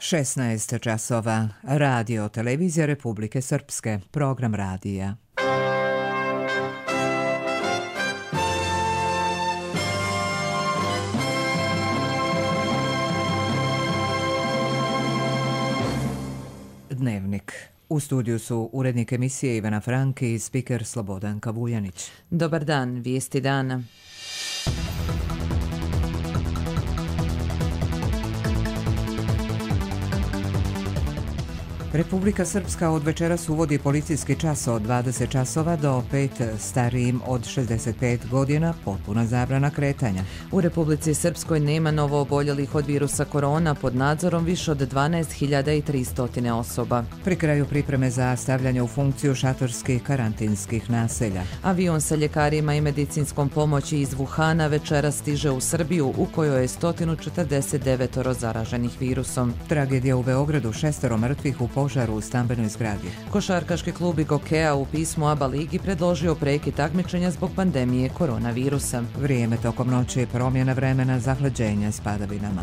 16 časova. Radio Televizija Republike Srpske. Program radija. Dnevnik. U studiju su urednik emisije Ivana Franki i spiker Slobodanka Vujanić. Dobar dan, vijesti dana. Republika Srpska od večeras uvodi policijski čas od 20 časova do 5 starijim od 65 godina, potpuna zabrana kretanja. U Republici Srpskoj nema novo oboljelih od virusa korona, pod nadzorom više od 12.300 osoba. Pri kraju pripreme za stavljanje u funkciju šatorskih karantinskih naselja. Avion sa ljekarima i medicinskom pomoći iz Wuhana večeras stiže u Srbiju, u kojoj je 149 zaraženih virusom. Tragedija u Beogradu, 6 mrtvih u požaru u stambenoj zgradi. Košarkaški klub Gokeja u pismu ABA ligi predložio prekid takmičenja zbog pandemije koronavirusa. Vrijeme tokom noći je promjena vremena, zahlađenja s padavinama.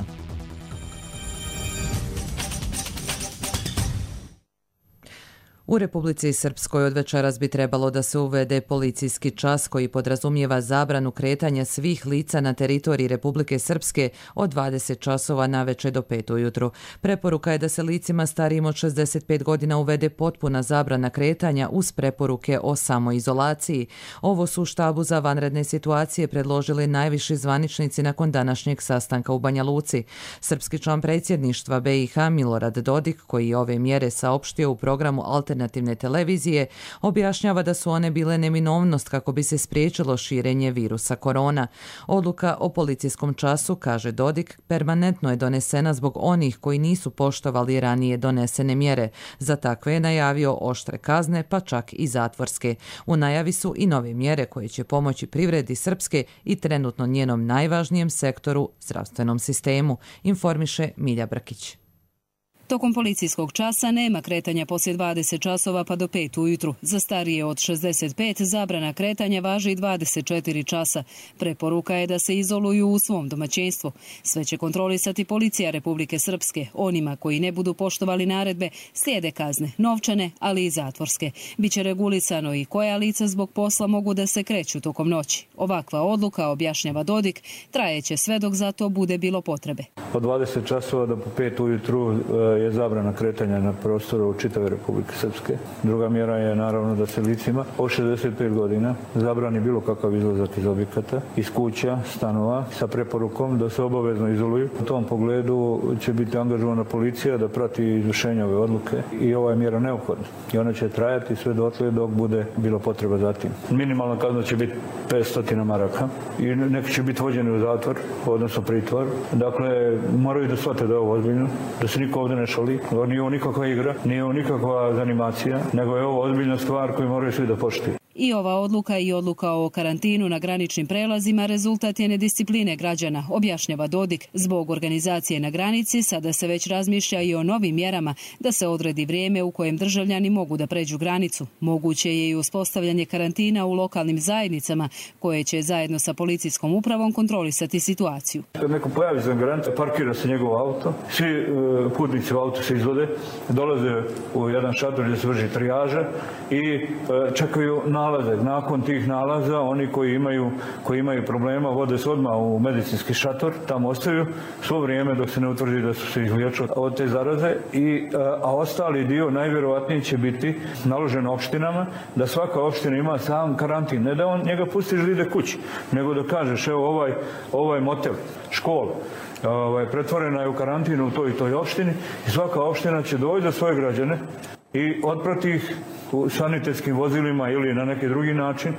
U Republici Srpskoj od večeras bi trebalo da se uvede policijski čas koji podrazumijeva zabranu kretanja svih lica na teritoriji Republike Srpske od 20 časova naveče do 5 ujutru. Preporuka je da se licima starijim od 65 godina uvede potpuna zabrana kretanja uz preporuke o samoizolaciji. Ovo su u štabu za vanredne situacije predložili najviši zvaničnici nakon današnjeg sastanka u Banja Luci. Srpski član predsjedništva BiH Milorad Dodik, koji je ove mjere saopštio u programu Alternativne televizije, objašnjava da su one bile neminovnost kako bi se spriječilo širenje virusa korona. Odluka o policijskom času, kaže Dodik, permanentno je donesena zbog onih koji nisu poštovali ranije donesene mjere. Za takve je najavio oštre kazne, pa čak i zatvorske. U najavi su i nove mjere koje će pomoći privredi Srpske i trenutno njenom najvažnijem sektoru, zdravstvenom sistemu, informiše Milja Brkić. Tokom policijskog časa nema kretanja poslije 20 časova pa do 5 ujutru. Za starije od 65 zabrana kretanja važi 24 časa. Preporuka je da se izoluju u svom domaćinstvu. Sve će kontrolisati policija Republike Srpske. Onima koji ne budu poštovali naredbe slijede kazne, novčane, ali i zatvorske. Biće regulisano i koja lica zbog posla mogu da se kreću tokom noći. Ovakva odluka, objašnjava Dodik, trajeće sve dok za to bude bilo potrebe. Od 20 časova do 5 ujutru je zabrana kretanja na prostoru čitave Republike Srpske. Druga mjera je naravno da se licima od 65 godina zabrani bilo kakav izlazak iz objekata, iz kuća, stanova, sa preporukom da se obavezno izoluju. U tom pogledu će biti angažovana policija da prati izvršenje ove odluke i ova je mjera neophodna. I ona će trajati sve dotle dok bude bilo potreba za tim. Minimalna kazna će biti 500 maraka i neki će biti vođeni u zatvor, odnosno pritvor. Dakle, moraju da shvate da je ovo ozbiljno, da se niko ovdje ne šali. Nije ovo nikakva igra, nije ovo nikakva zanimacija, nego je ovo ozbiljna stvar koju moraju svi da poštuju. I ova odluka i odluka o karantinu na graničnim prelazima rezultat je nediscipline građana, objašnjava Dodik. Zbog organizacije na granici sada se već razmišlja i o novim mjerama da se odredi vrijeme u kojem državljani mogu da pređu granicu. Moguće je i uspostavljanje karantina u lokalnim zajednicama koje će zajedno sa policijskom upravom kontrolisati situaciju. Kad neko pojavi za granicu, parkira se njegov auto, svi putnici u auto se izvode, dolaze u jedan šator gdje se vrši trijaža i čekaju nalaze. Nakon tih nalaza, oni koji imaju problema vode se odmah u medicinski šator, tamo ostaju svo vrijeme dok se ne utvrdi da su se izliječili od te zaraze, a ostali dio najvjerojatnije će biti naložen opštinama, da svaka opština ima sam karantin. Ne da on njega pustiš da ide kući, nego da kažeš evo ovaj motel, škola, pretvorena je u karantinu u toj i toj opštini i svaka opština će doći za svoje građane i otprati ih u sanitetskim vozilima ili na neki drugi način,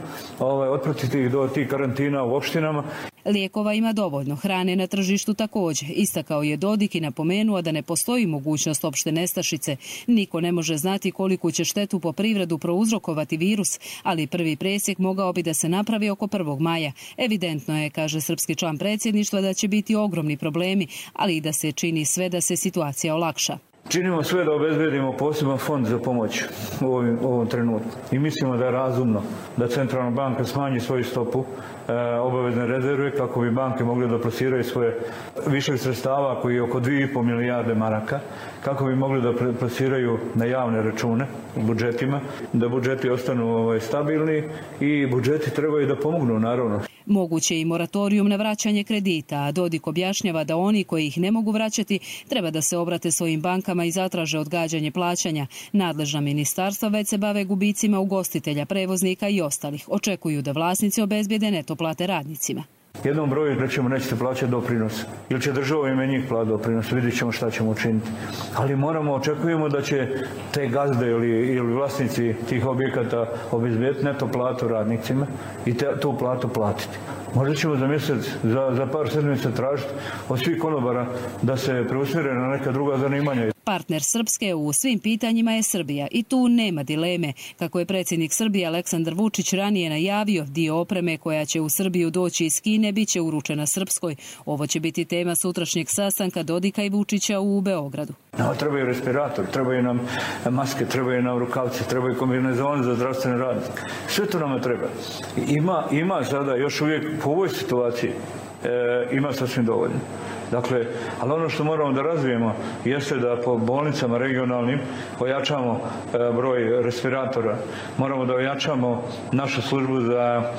otpratiti ih do tih karantina u opštinama. Lijekova ima dovoljno, hrane na tržištu također. Istakao je Dodik i napomenuo da ne postoji mogućnost opšte nestašice. Niko ne može znati koliku će štetu po privredu prouzrokovati virus, ali prvi presjek mogao bi da se napravi oko 1. maja. Evidentno je, kaže srpski član predsjedništva, da će biti ogromni problemi, ali i da se čini sve da se situacija olakša. Činimo sve da obezbedimo poseban fond za pomoć u ovom trenutku. I mislimo da je razumno da Centralna banka smanji svoju stopu obavezne rezerve kako bi banke mogle da plasiraju svoje višeg sredstava koji je oko 2,5 milijarde maraka, kako bi mogli da plasiraju na javne račune u budžetima, da budžeti ostanu stabilni i budžeti trebaju da pomognu, naravno. Moguće i moratorijum na vraćanje kredita, a Dodik objašnjava da oni koji ih ne mogu vraćati treba da se obrate svojim bankama i zatraže odgađanje plaćanja. Nadležna ministarstva već se bave gubicima ugostitelja, prevoznika i ostalih. Očekuju da vlasnici obezbijede neto plate radnicima. Jednom broju rećemo nećete plaćati doprinos ili će država ime njih plati doprinos, vidjet ćemo šta ćemo učiniti. Ali očekujemo da će te gazde ili vlasnici tih objekata obezbijeti neto platu radnicima i tu platu platiti. Možda ćemo za mjesec, za par sedmica tražiti od svih konobara da se preusmjere na neka druga zanimanja. Partner Srpske u svim pitanjima je Srbija i tu nema dileme. Kako je predsjednik Srbije Aleksandar Vučić ranije najavio, dio opreme koja će u Srbiju doći iz Kine biće uručena Srpskoj. Ovo će biti tema sutrašnjeg sastanka Dodika i Vučića u Beogradu. Trebaju respirator, trebaju nam maske, trebaju nam rukavce, trebaju kombinezoni za zdravstvene radnike. Sve to nama treba. Ima sada još uvijek po ovoj situaciji ima sasvim dovoljno. Dakle, ali ono što moramo da razvijemo jeste da po bolnicama regionalnim ojačamo broj respiratora. Moramo da ojačamo našu službu za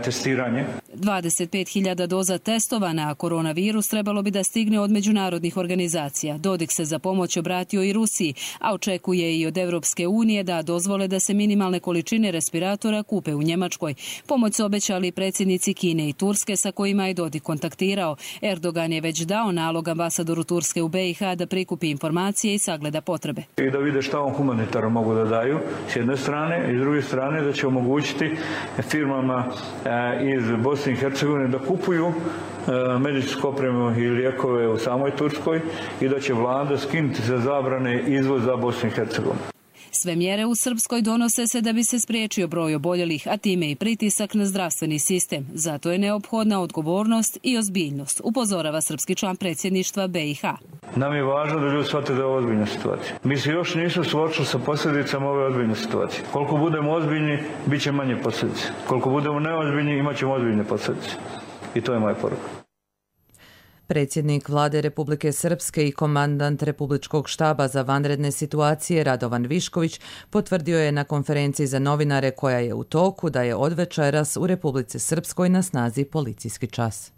testiranje. 25.000 doza testova na koronavirus trebalo bi da stigne od međunarodnih organizacija. Dodik se za pomoć obratio i Rusiji, a očekuje i od Evropske unije da dozvole da se minimalne količine respiratora kupe u Njemačkoj. Pomoć su obećali predsjednici Kine i Turske sa kojima je Dodik kontaktirao. Erdogan je već dao nalog ambasadoru Turske u BiH da prikupi informacije i sagleda potrebe. I da vide šta on humanitarno mogu da daju s jedne strane i s druge strane da će omogućiti firmama iz Bosne i Hercegovine da kupuju medicinsku opremu i lijekove u samoj Turskoj i da će vlada skinuti za zabrane izvoza Bosne i Hercegovine. Sve mjere u Srpskoj donose se da bi se spriječio broj oboljelih, a time i pritisak na zdravstveni sistem. Zato je neophodna odgovornost i ozbiljnost, upozorava srpski član predsjedništva BiH. Nam je važno da ljudi shvate da je ovo ozbiljna situacija. Mi se još nisu suočili sa posljedicama ove ozbiljne situacije. Koliko budemo ozbiljni, bit će manje posljedice. Koliko budemo neozbiljni, imat ćemo ozbiljne posljedice. I to je moja poruka. Predsjednik Vlade Republike Srpske i komandant Republičkog štaba za vanredne situacije Radovan Višković potvrdio je na konferenciji za novinare koja je u toku da je od večeras u Republici Srpskoj na snazi policijski čas.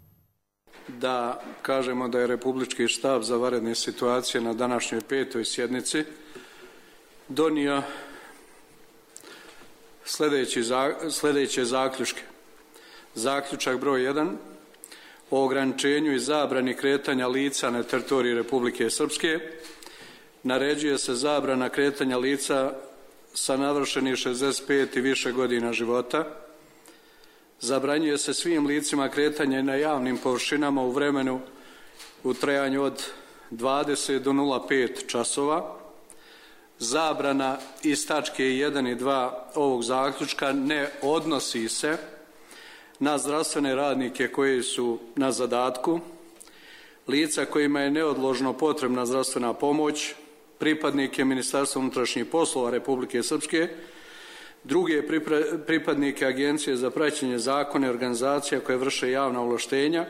Da kažemo da je Republički štab za vanredne situacije na današnjoj 5. sjednici donio sljedeće zaključke. Zaključak broj 1. o ograničenju i zabrani kretanja lica na teritoriji Republike Srpske. Naređuje se zabrana kretanja lica sa navršenih 65 i više godina života. Zabranjuje se svim licima kretanje na javnim površinama u vremenu u trajanju od 20 do 05 časova. Zabrana iz tačke 1 i 2 ovog zaključka ne odnosi se na zdravstvene radnike koji su na zadatku, lica kojima je neodložno potrebna zdravstvena pomoć, pripadnike Ministarstva unutrašnjih poslova Republike Srpske, druge pripadnike Agencije za praćenje zakona i organizacija koje vrše javna ovlaštenja,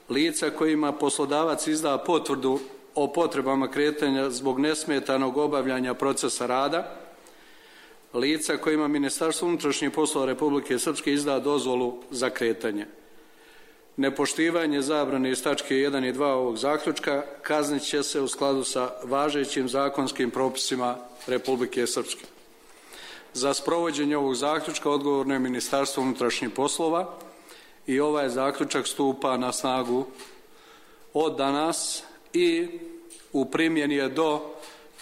lica kojima poslodavac izda potvrdu o potrebama kretanja zbog nesmetanog obavljanja procesa rada, lica kojima Ministarstvo unutrašnjih poslova Republike Srpske izda dozvolu za kretanje. Nepoštivanje zabrane iz tačke 1 i 2 ovog zaključka kaznit će se u skladu sa važećim zakonskim propisima Republike Srpske. Za sprovođenje ovog zaključka odgovorno je Ministarstvo unutrašnjih poslova i ovaj zaključak stupa na snagu od danas i u primjeni je do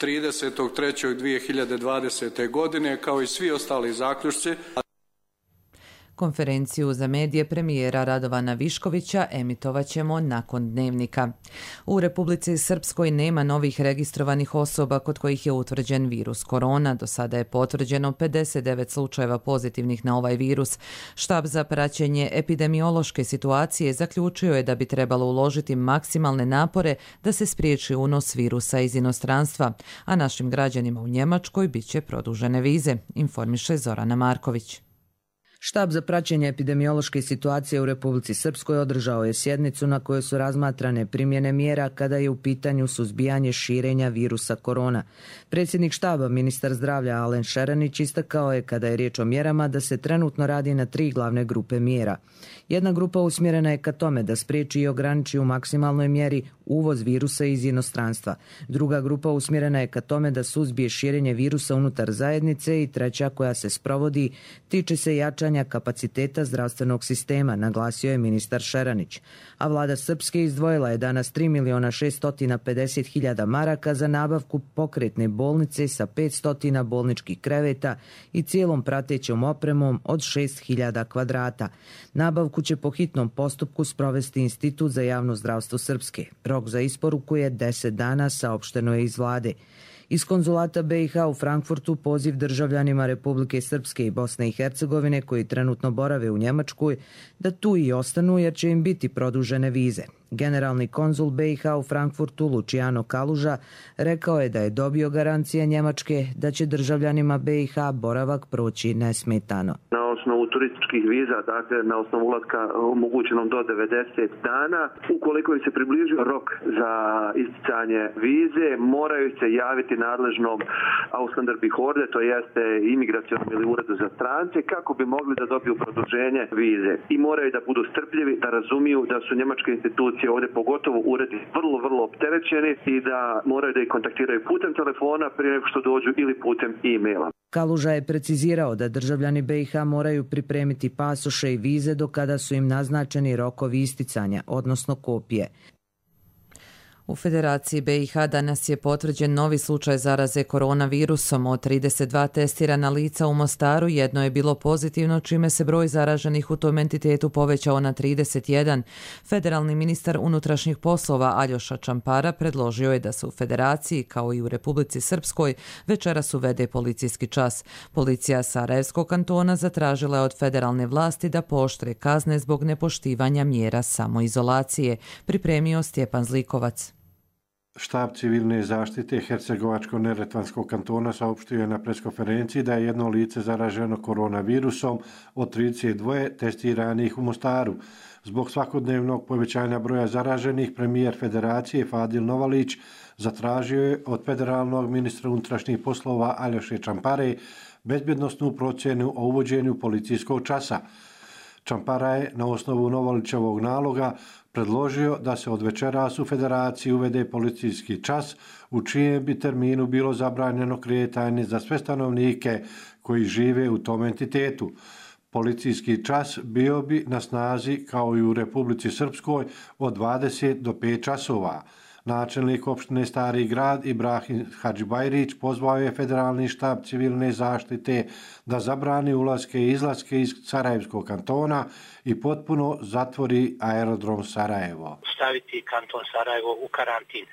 30.3.2020. godine, kao i svi ostali zaključci. Konferenciju za medije premijera Radovana Viškovića emitovaćemo nakon dnevnika. U Republici Srpskoj nema novih registrovanih osoba kod kojih je utvrđen virus korona. Do sada je potvrđeno 59 slučajeva pozitivnih na ovaj virus. Štab za praćenje epidemiološke situacije zaključio je da bi trebalo uložiti maksimalne napore da se spriječi unos virusa iz inostranstva, a našim građanima u Njemačkoj bit će produžene vize, informiše Zorana Marković. Štab za praćenje epidemiološke situacije u Republici Srpskoj održao je sjednicu na kojoj su razmatrane primjene mjera kada je u pitanju suzbijanje širenja virusa korona. Predsjednik štaba, ministar zdravlja Alen Šeranić, istakao je kada je riječ o mjerama da se trenutno radi na 3 glavne grupe mjera. Jedna grupa usmjerena je ka tome da spriječi i ograniči u maksimalnoj mjeri uvoz virusa iz inostranstva. Druga grupa usmjerena je ka tome da suzbije širenje virusa unutar zajednice i treća koja se sprovodi tiče se jačanja kapaciteta zdravstvenog sistema, naglasio je ministar Šeranić. A vlada Srpske izdvojila je danas 3.650.000 maraka za nabavku pokretne bolnice sa 500 bolničkih kreveta i cijelom pratećom opremom od 6.000 kvadrata. Nabavku će po hitnom postupku sprovesti Institut za javno zdravstvo Srpske. Rok za isporuku je 10 dana, saopšteno je iz vlade. Iz konzulata BiH u Frankfurtu poziv državljanima Republike Srpske i Bosne i Hercegovine koji trenutno borave u Njemačkoj da tu i ostanu jer će im biti produžene vize. Generalni konzul BiH u Frankfurtu Luciano Kaluža rekao je da je dobio garancije Njemačke da će državljanima BiH boravak proći nesmetano. Na osnovu turističkih viza, dakle na osnovu ulaska omogućenom do 90 dana, ukoliko im se približio rok za isticanje vize, moraju se javiti nadležnom Ausländerbehörde, to jeste imigracionom ili uredu za strance, kako bi mogli da dobiju produženje vize. I moraju da budu strpljivi, da razumiju da su njemačke institucije ovdje, pogotovo uredi, vrlo opterećeni i da moraju da ih kontaktiraju putem telefona prije nego što dođu ili putem e-maila. Kaluža je precizirao da državljani BiH moraju pripremiti pasoše i vize do kada su im naznačeni rokovi isticanja, odnosno kopije. U Federaciji BiH danas je potvrđen novi slučaj zaraze koronavirusom. Od 32 testirana lica u Mostaru jedno je bilo pozitivno, čime se broj zaraženih u tom entitetu povećao na 31. Federalni ministar unutrašnjih poslova Aljoša Čampara predložio je da se u Federaciji, kao i u Republici Srpskoj, večeras uvede policijski čas. Policija Sarajevskog kantona zatražila je od federalne vlasti da pooštre kazne zbog nepoštivanja mjera samoizolacije, pripremio Stjepan Zlikovac. Štab civilne zaštite Hercegovačko-Neretvanskog kantona saopštio je na preskonferenciji da je jedno lice zaraženo koronavirusom od 32 testiranih u Mostaru. Zbog svakodnevnog povećanja broja zaraženih, premijer Federacije Fadil Novalić zatražio je od federalnog ministra unutrašnjih poslova Aljoše Čampare bezbjednosnu procjenu o uvođenju policijskog časa. Čampara je na osnovu Novalićevog naloga predložio da se od večeras u Federaciji uvede policijski čas u čijem bi terminu bilo zabranjeno kretanje za sve stanovnike koji žive u tom entitetu. Policijski čas bio bi na snazi kao i u Republici Srpskoj od 20 do 5 časova. Načelnik opštine Stari grad Ibrahim Hadžibajrić pozvao je federalni štab civilne zaštite da zabrani ulaske i izlaske iz Sarajevskog kantona i potpuno zatvori aerodrom Sarajevo. Staviti kanton Sarajevo u karantin.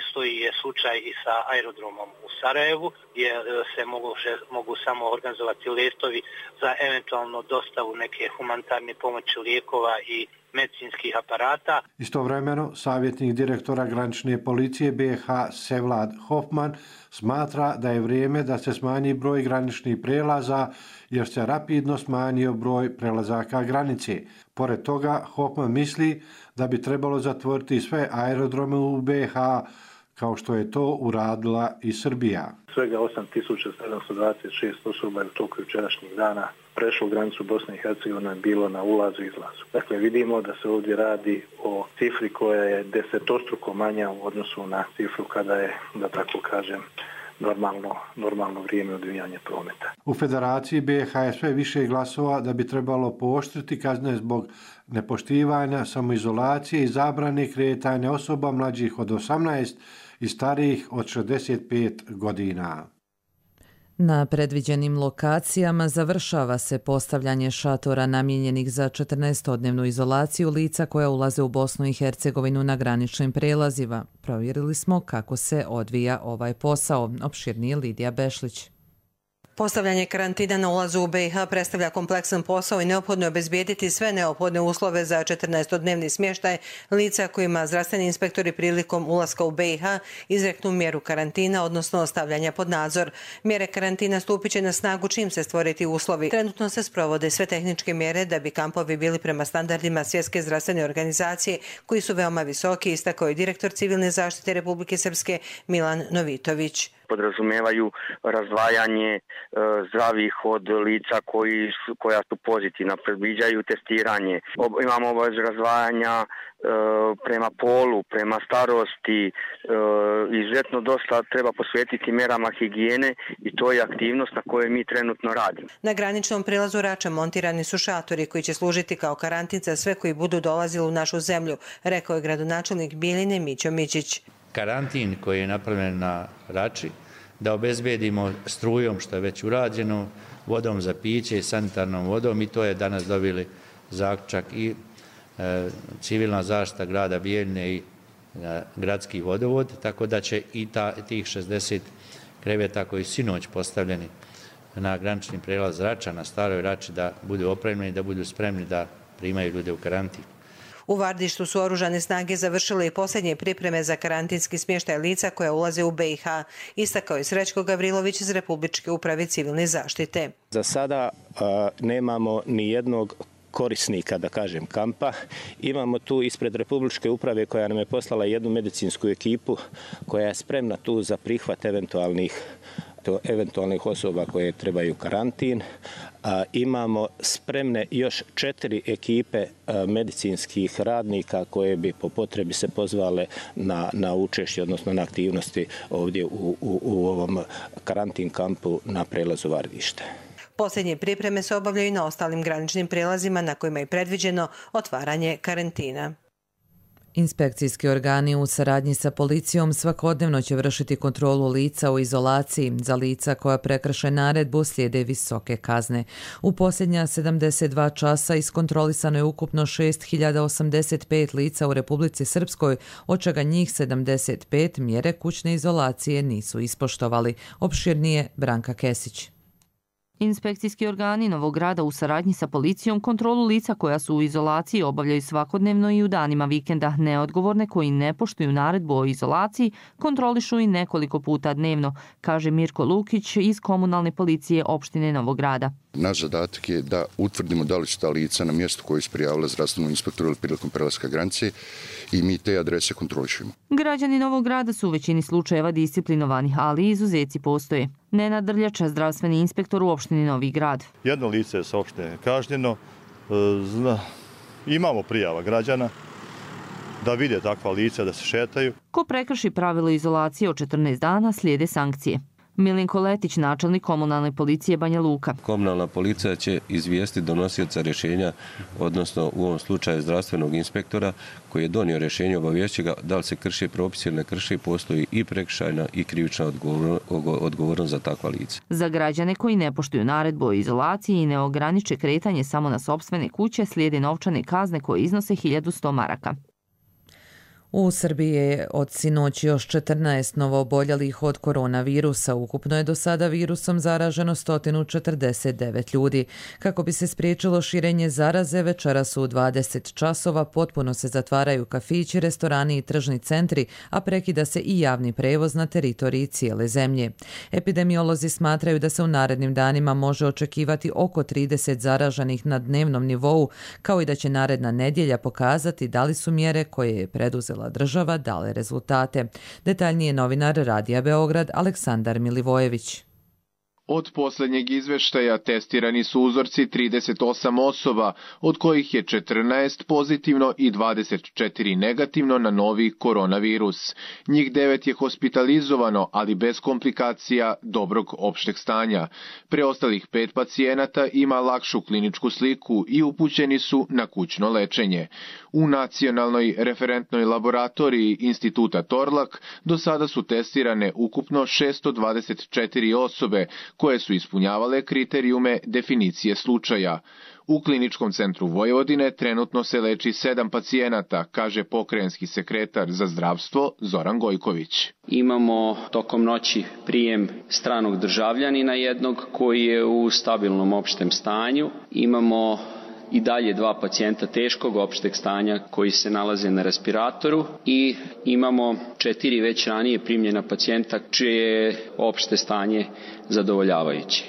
Isto je slučaj i sa aerodromom u Sarajevu, gdje se mogu samo organizovati letovi za eventualno dostavu neke humanitarne pomoći, lijekova i medicinskih aparata. Istovremeno, savjetnik direktora granične policije BiH Sevlad Hofman smatra da je vrijeme da se smanji broj graničnih prelaza jer se rapidno smanjio broj prelazaka granice. Pored toga, Hofman misli da bi trebalo zatvoriti sve aerodrome u BiH kao što je to uradila i Srbija. Svega 8.726 osoba je u toku jučerašnjih dana prešlo granicu Bosne i Hercegovine, bilo na ulazu i izlazu. Dakle, vidimo da se ovdje radi o cifri koja je desetostruko manja u odnosu na cifru kada je, da tako kažem, normalno vrijeme odvijanja prometa. U Federaciji BiH je sve više glasova da bi trebalo pooštriti kazne zbog nepoštivanja, samoizolacije i zabrane kretanja osoba mlađih od 18 i starijih od 65 godina. Na predviđenim lokacijama završava se postavljanje šatora namijenjenih za 14-dnevnu izolaciju lica koja ulaze u Bosnu i Hercegovinu na graničnim prelazima. Provjerili smo kako se odvija ovaj posao. Opširnije Lidija Bešlić. Postavljanje karantina na ulazu u BiH predstavlja kompleksan posao i neophodno je obezbijediti sve neophodne uslove za 14-dnevni smještaj lica kojima zdravstveni inspektori prilikom ulaska u BiH izreknu mjeru karantina, odnosno stavljanja pod nadzor. Mjere karantina stupit će na snagu čim se stvoriti uslovi. Trenutno se sprovode sve tehničke mjere da bi kampovi bili prema standardima Svjetske zdravstvene organizacije, koji su veoma visoki, istakao je direktor Civilne zaštite Republike Srpske Milan Novitović. Podrazumijevaju razdvajanje zdravih od lica koja su pozitivna, predviđaju testiranje. Imamo obavezu razdvajanja prema polu, prema starosti, izuzetno dosta treba posvetiti mjerama higijene i to je aktivnost na kojoj mi trenutno radimo. Na graničnom prilazu Rača montirani su šatori koji će služiti kao karantin za sve koji budu dolazili u našu zemlju, rekao je gradonačelnik Bjeljine Mićo Mićić. Karantin koji je napravljen na Rači, da obezbedimo strujom, što je već urađeno, vodom za piće i sanitarnom vodom, i to je danas dobili zaključak i civilna zaštita grada Bijeljine i gradski vodovod, tako da će i tih 60 kreveta koji su sinoć postavljeni na granični prelaz Rača, na staroj Rači, da budu opremljeni, da budu spremni da primaju ljude u karantin. U Vardištu su oružane snage završile i posljednje pripreme za karantinski smještaj lica koja ulaze u BiH, istakao je Srećko Gavrilović iz Republičke uprave civilne zaštite. Za sada nemamo ni jednog korisnika, da kažem, kampa. Imamo tu ispred Republičke uprave koja nam je poslala jednu medicinsku ekipu koja je spremna tu za prihvat eventualnih osoba koje trebaju karantin. Imamo spremne još 4 ekipe medicinskih radnika koje bi po potrebi se pozvale na učešće, odnosno na aktivnosti ovdje u ovom karantin kampu na prelazu Vardište. Posljednje pripreme se obavljaju i na ostalim graničnim prelazima na kojima je predviđeno otvaranje karantina. Inspekcijski organi u saradnji sa policijom svakodnevno će vršiti kontrolu lica u izolaciji. Za lica koja prekrše naredbu slijede visoke kazne. U posljednja 72 časa iskontrolisano je ukupno 6085 lica u Republici Srpskoj, od čega njih 75 mjere kućne izolacije nisu ispoštovali. Opširnije Branka Kesić. Inspekcijski organi Novog Grada u saradnji sa policijom kontrolu lica koja su u izolaciji obavljaju svakodnevno i u danima vikenda. Neodgovorne koji ne poštuju naredbu o izolaciji kontrolišu i nekoliko puta dnevno, kaže Mirko Lukić iz komunalne policije opštine Novog Grada. Naš zadatak je da utvrdimo da li su ta lica na mjestu koju su prijavila zdravstvenom inspektoru ili prilikom prelaska granice i mi te adrese kontrolišemo. Građani Novog Grada su u većini slučajeva disciplinovani, ali izuzeci postoje. Nenad Drljača, zdravstveni inspektor u opštini Novi Grad. Jedno lice je saopšteno kažnjeno. Imamo prijava građana da vide takva lica da se šetaju. Ko prekrši pravilo izolacije od 14 dana, slijede sankcije. Milenko Letić, načelnik komunalne policije Banja Luka. Komunalna policija će izvijestiti donosioca rješenja, odnosno u ovom slučaju zdravstvenog inspektora koji je donio rješenje, obaviješće ga da li se krši propis ili ne krši, postoji i prekršajna i krivična odgovornost za takva lica. Za građane koji ne poštuju naredbu o izolaciji i ne ograniče kretanje samo na sopstvene kuće, slijede novčane kazne koje iznose 1100 maraka. U Srbiji je od sinoć još 14 novooboljelih od koronavirusa. Ukupno je do sada virusom zaraženo 149 ljudi. Kako bi se spriječilo širenje zaraze, večeras u 20 časova potpuno se zatvaraju kafići, restorani i tržni centri, a prekida se i javni prevoz na teritoriji cijele zemlje. Epidemiolozi smatraju da se u narednim danima može očekivati oko 30 zaraženih na dnevnom nivou, kao i da će naredna nedjelja pokazati da li su mjere koje je preduzela država dale rezultate. Detaljnije novinar Radija Beograd Aleksandar Milivojević. Od posljednjeg izveštaja testirani su uzorci 38 osoba, od kojih je 14 pozitivno i 24 negativno na novi koronavirus. Njih 9 je hospitalizovano, ali bez komplikacija dobrog opšteg stanja. Preostalih 5 pacijenata ima lakšu kliničku sliku i upućeni su na kućno lečenje. U nacionalnoj referentnoj laboratoriji Instituta Torlak do sada su testirane ukupno 624 osobe koje su ispunjavale kriterijume definicije slučaja. U Kliničkom centru Vojvodine trenutno se leči 7 pacijenata, kaže pokrajinski sekretar za zdravstvo Zoran Gojković. Imamo tokom noći prijem stranog državljanina jednog koji je u stabilnom opštem stanju. Imamo i dalje 2 pacijenta teškog opšteg stanja koji se nalaze na respiratoru i imamo 4 već ranije primljena pacijenta čije je opšte stanje zadovoljavajuće.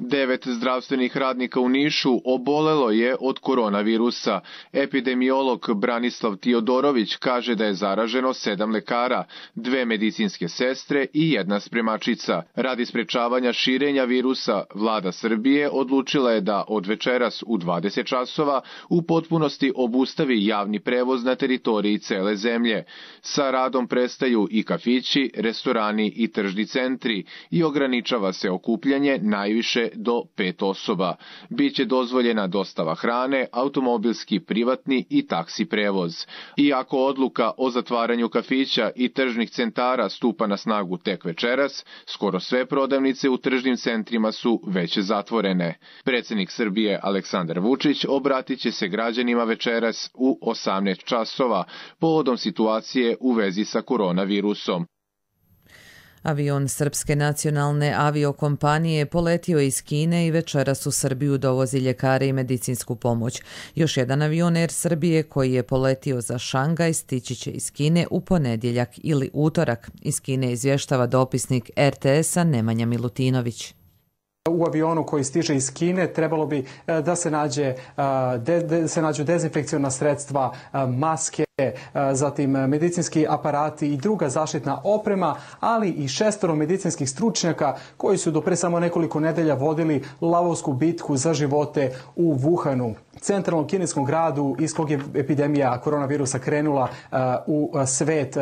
9 zdravstvenih radnika u Nišu obolelo je od koronavirusa. Epidemiolog Branislav Tiodorović kaže da je zaraženo 7 lekara, 2 medicinske sestre i 1 spremačica. Radi sprečavanja širenja virusa, vlada Srbije odlučila je da od večeras u 20 časova u potpunosti obustavi javni prevoz na teritoriji cele zemlje. Sa radom prestaju i kafići, restorani i tržni centri i ograničava se okupljanje najviše do 5 osoba. Biće dozvoljena dostava hrane, automobilski, privatni i taksi prevoz. Iako odluka o zatvaranju kafića i tržnih centara stupa na snagu tek večeras, skoro sve prodavnice u tržnim centrima su već zatvorene. Predsjednik Srbije Aleksandar Vučić obratit će se građanima večeras u 18 časova povodom situacije u vezi sa koronavirusom. Avion Srpske nacionalne aviokompanije poletio je iz Kine i večeras u Srbiju dovozi ljekare i medicinsku pomoć. Još jedan avion Air Srbije koji je poletio za Šangaj stići će iz Kine u ponedjeljak ili utorak. Iz Kine izvještava dopisnik RTS-a Nemanja Milutinović. U avionu koji stiže iz Kine trebalo bi da se nađu dezinfekciona sredstva, maske, zatim medicinski aparati i druga zaštitna oprema, ali i 6 medicinskih stručnjaka koji su do pre samo nekoliko nedelja vodili lavovsku bitku za živote u Wuhanu, centralnom kineskom gradu iz kog je epidemija koronavirusa krenula u svet.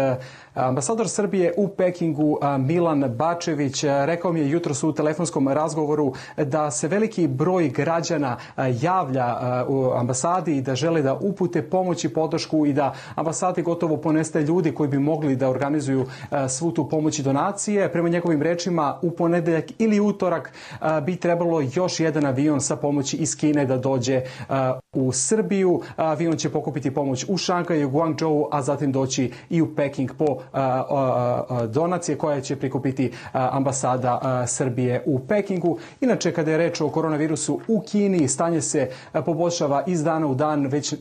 Ambasador Srbije u Pekingu Milan Bačević rekao mi je jutros u telefonskom razgovoru da se veliki broj građana javlja u ambasadi i da žele da upute pomoć i podršku i da ambasadi gotovo ponestaje ljudi koji bi mogli da organizuju svu tu pomoć i donacije. Prema njegovim rečima u ponedeljak ili utorak bi trebalo još jedan avion sa pomoći iz Kine da dođe u Srbiju. Avion će pokupiti pomoć u Šangaju, Guangzhou, a zatim doći i u Peking po donacije koje će prikupiti ambasada Srbije u Pekingu. Inače, kada je reč o koronavirusu u Kini, stanje se poboljšava iz dana u dan, već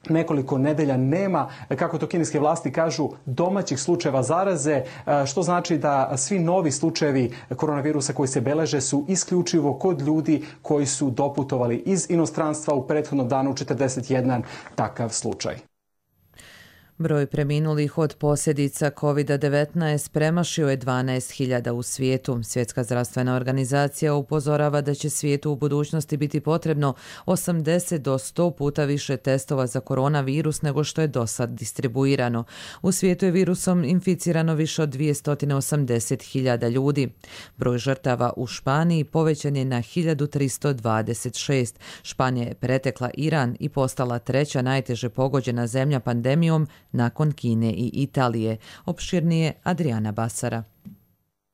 nekoliko nedelja nema, kako to kineske vlasti kažu, domaćih slučajeva zaraze, što znači da svi novi slučajevi koronavirusa koji se beleže su isključivo kod ljudi koji su doputovali iz inostranstva. U prethodnom danu 41 takav slučaj. Broj preminulih od posljedica COVID-19 premašio je 12.000 u svijetu. Svjetska zdravstvena organizacija upozorava da će svijetu u budućnosti biti potrebno 80 do 100 puta više testova za koronavirus nego što je do sad distribuirano. U svijetu je virusom inficirano više od 280.000 ljudi. Broj žrtava u Španiji povećan je na 1326. Španija je pretekla Iran i postala 3. najteže pogođena zemlja pandemijom nakon Kine i Italije. Opširnije Adriana Basara.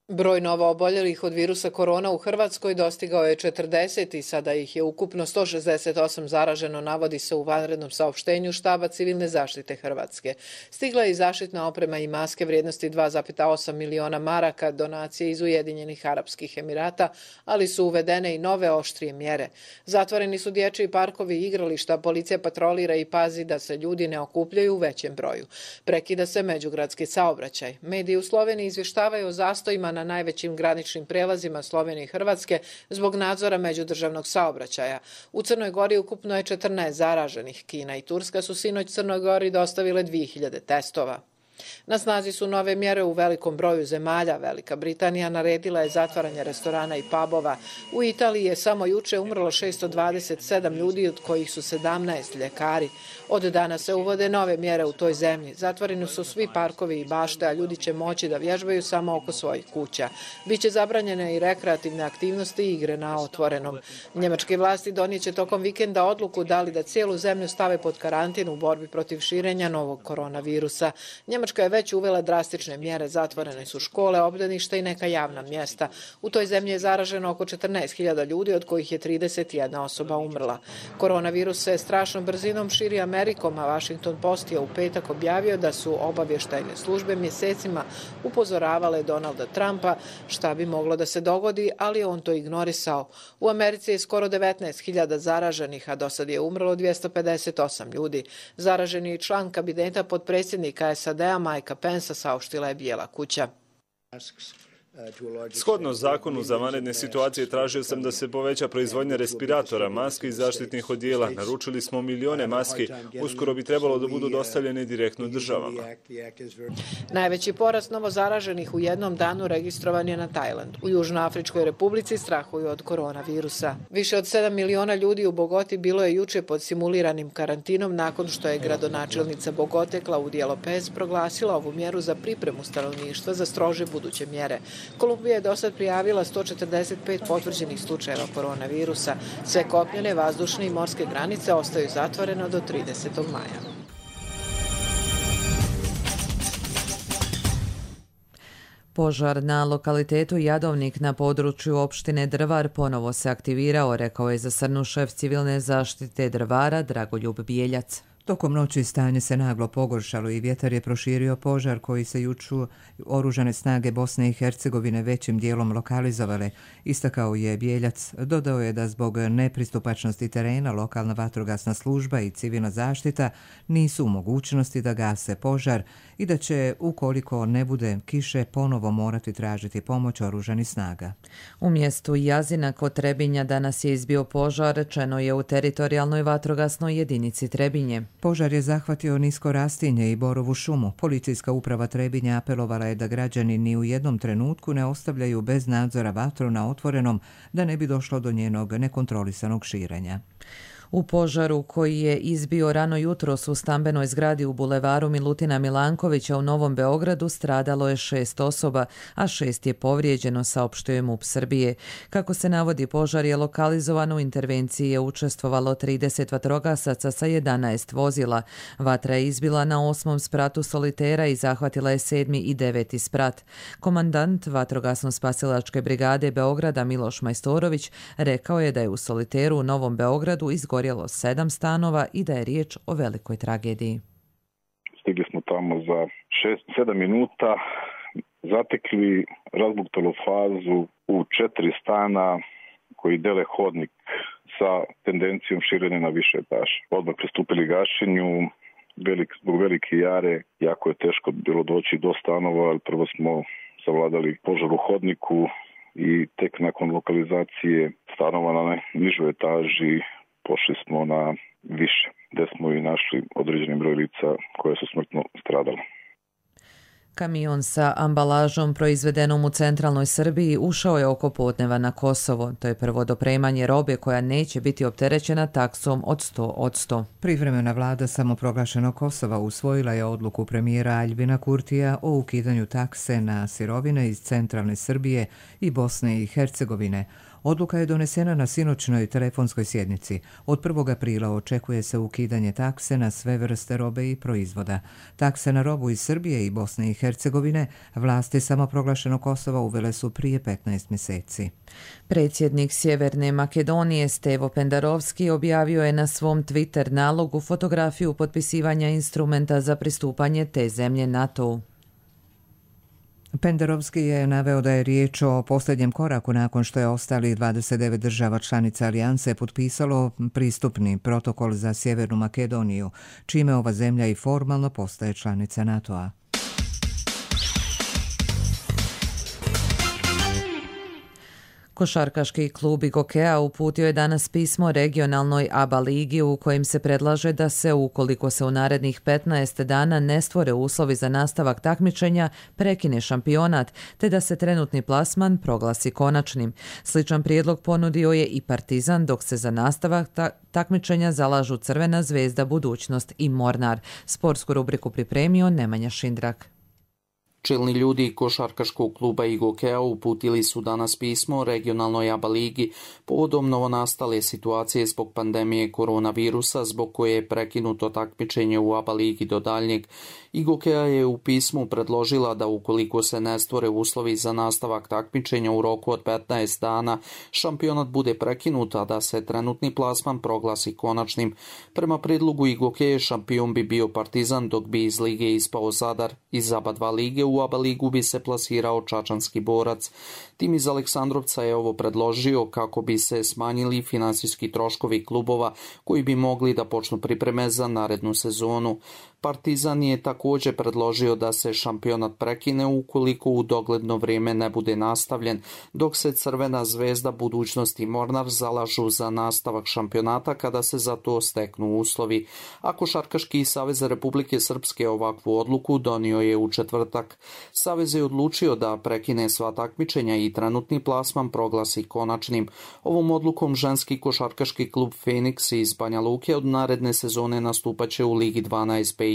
Broj novooboljelih od virusa korona u Hrvatskoj dostigao je 40 i sada ih je ukupno 168 zaraženo, navodi se u vanrednom saopštenju Štaba civilne zaštite Hrvatske. Stigla je i zaštitna oprema i maske vrijednosti 2,8 miliona maraka, donacije iz Ujedinjenih Arapskih Emirata, ali su uvedene i nove oštrije mjere. Zatvoreni su dječji parkovi i igrališta, policija patrolira i pazi da se ljudi ne okupljaju u većem broju. Prekida se međugradski saobraćaj. Mediji u Sloveniji izvještavaju o zastojima na najvećim graničnim prelazima Slovenije i Hrvatske zbog nadzora međudržavnog saobraćaja. U Crnoj Gori ukupno je 14 zaraženih. Kina i Turska su sinoć Crnoj Gori dostavile 2000 testova. Na snazi su nove mjere u velikom broju zemalja. Velika Britanija naredila je zatvaranje restorana i pubova. U Italiji je samo juče umrlo 627 ljudi, od kojih su 17 ljekari. Od dana se uvode nove mjere u toj zemlji. Zatvoreni su svi parkovi i bašte, a ljudi će moći da vježbaju samo oko svojih kuća. Biće zabranjene i rekreativne aktivnosti i igre na otvorenom. Njemačke vlasti donijeće tokom vikenda odluku da li da cijelu zemlju stave pod karantin u borbi protiv širenja novog koronavirusa. Nemačka je već uvela drastične mjere, zatvorene su škole, obdaništa i neka javna mjesta. U toj zemlji je zaraženo oko 14.000 ljudi, od kojih je 31 osoba umrla. Koronavirus se strašnom brzinom širi Amerikom, a Washington Post je u petak objavio da su obavještajne službe mjesecima upozoravale Donalda Trumpa šta bi moglo da se dogodi, ali on to ignorisao. U Americi je skoro 19.000 zaraženih, a do sad je umrlo 258 ljudi. Zaraženi član kabineta potpredsjednika SAD-a Mikea Pensa, saopštila je Bijela kuća. Shodno zakonu za vanredne situacije tražio sam da se poveća proizvodnja respiratora, maski i zaštitnih odijela. Naručili smo milijone maski, uskoro bi trebalo da budu dostavljene direktno državama. Najveći porast novozaraženih u jednom danu registrovan je na Tajlandu. U Južnoafričkoj republici strahuju od koronavirusa. Više od 7 miliona ljudi u Bogoti bilo je juče pod simuliranim karantinom nakon što je gradonačelnica Bogote Claudia Lopez proglasila ovu mjeru za pripremu stanovništva za strože buduće mjere. Kolumbija je dosad prijavila 145 potvrđenih slučajeva koronavirusa. Sve kopnene, vazdušne i morske granice ostaju zatvorene do 30. maja. Požar na lokalitetu Jadovnik na području opštine Drvar ponovo se aktivirao, rekao je za Srnu šef civilne zaštite Drvara Dragoljub Bijeljac. Tokom noći stanje se naglo pogoršalo i vjetar je proširio požar koji se juču oružane snage Bosne i Hercegovine većim dijelom lokalizovale, istakao je Bijeljac. Dodao je da zbog nepristupačnosti terena lokalna vatrogasna služba i civilna zaštita nisu u mogućnosti da gase požar i da će, ukoliko ne bude kiše, ponovo morati tražiti pomoć oružanih snaga. U mjestu Jazina kod Trebinja danas je izbio požar, rečeno je u teritorijalnoj vatrogasnoj jedinici Trebinje. Požar je zahvatio nisko rastinje i borovu šumu. Policijska uprava Trebinja apelovala je da građani ni u jednom trenutku ne ostavljaju bez nadzora vatru na otvorenom, da ne bi došlo do njenog nekontrolisanog širenja. U požaru koji je izbio rano jutros u stambenoj zgradi u bulevaru Milutina Milankovića u Novom Beogradu stradalo je 6 osoba, a 6 je povrijeđeno, saopštio je MUP Srbije. Kako se navodi, požar je lokalizovan, u intervenciji je učestvovalo 30 vatrogasaca sa 11 vozila. Vatra je izbila na 8. spratu Solitera i zahvatila je 7. i 9. sprat. Komandant Vatrogasno-spasilačke brigade Beograda Miloš Majstorović rekao je da je u Soliteru u Novom Beogradu izgorjelo 7 stanova i da je riječ o velikoj tragediji. Stigli smo tamo za 6-7 minuta, zatekli razbuktanu fazu u 4 stana koji dele hodnik sa tendencijom širenja na više etaža. Odmah pristupili gašenju, zbog velike jare, jako je teško bilo doći do stanova, ali prvo smo savladali požar u hodniku i tek nakon lokalizacije stanova na nižoj etaži pošli smo na više, gdje smo i našli određeni broj lica koje su smrtno stradale. Kamion sa ambalažom proizvedenom u centralnoj Srbiji ušao je oko podneva na Kosovo. To je prvo dopremanje robe koja neće biti opterećena taksom od 100%. Privremena vlada samoproglašenog Kosova usvojila je odluku premijera Aljbina Kurtija o ukidanju takse na sirovine iz centralne Srbije i Bosne i Hercegovine. Odluka je donesena na sinoćnoj telefonskoj sjednici. Od 1. aprila očekuje se ukidanje takse na sve vrste robe i proizvoda. Takse na robu iz Srbije i Bosne i Hercegovine vlasti samoproglašenog Kosova uvele su prije 15 mjeseci. Predsjednik Sjeverne Makedonije Stevo Pendarovski objavio je na svom Twitter nalogu fotografiju potpisivanja instrumenta za pristupanje te zemlje NATO-u. Pendarovski je naveo da je riječ o posljednjem koraku nakon što je ostali 29 država članica alijanse potpisalo pristupni protokol za Sjevernu Makedoniju, čime ova zemlja i formalno postaje članica NATO-a. Košarkaški klub Igokea uputio je danas pismo regionalnoj ABA ligi u kojem se predlaže da se, ukoliko se u narednih 15 dana ne stvore uslovi za nastavak takmičenja, prekine šampionat, te da se trenutni plasman proglasi konačnim. Sličan prijedlog ponudio je i Partizan, dok se za nastavak takmičenja zalažu Crvena zvezda, Budućnost i Mornar. Sportsku rubriku pripremio Nemanja Šindrak. Čelni ljudi košarkaškog kluba IGOK-a uputili su danas pismo regionalnoj ABA ligi povodom novonastale situacije zbog pandemije koronavirusa, zbog koje je prekinuto takmičenje u ABA ligi do daljnjeg. IGOK-a je u pismu predložila da ukoliko se ne stvore uslovi za nastavak takmičenja u roku od 15 dana, šampionat bude prekinut, a da se trenutni plasman proglasi konačnim. Prema predlogu IGOK-a šampion bi bio Partizan, dok bi iz lige ispao Zadar. Iz ABA 2 lige u ABA ligu bi se plasirao čačanski Borac. Tim iz Aleksandrovca je ovo predložio kako bi se smanjili finansijski troškovi klubova koji bi mogli da počnu pripreme za narednu sezonu. Partizan je također predložio da se šampionat prekine ukoliko u dogledno vrijeme ne bude nastavljen, dok se Crvena zvezda, Budućnost i Mornar zalažu za nastavak šampionata kada se za to steknu uslovi. A Košarkaški savez Republike Srpske ovakvu odluku donio je u četvrtak. Savez je odlučio da prekine sva takmičenja i trenutni plasman proglasi konačnim. Ovom odlukom ženski košarkaški klub Feniks iz Banja Luke od naredne sezone nastupaće u Ligi 12 BiH.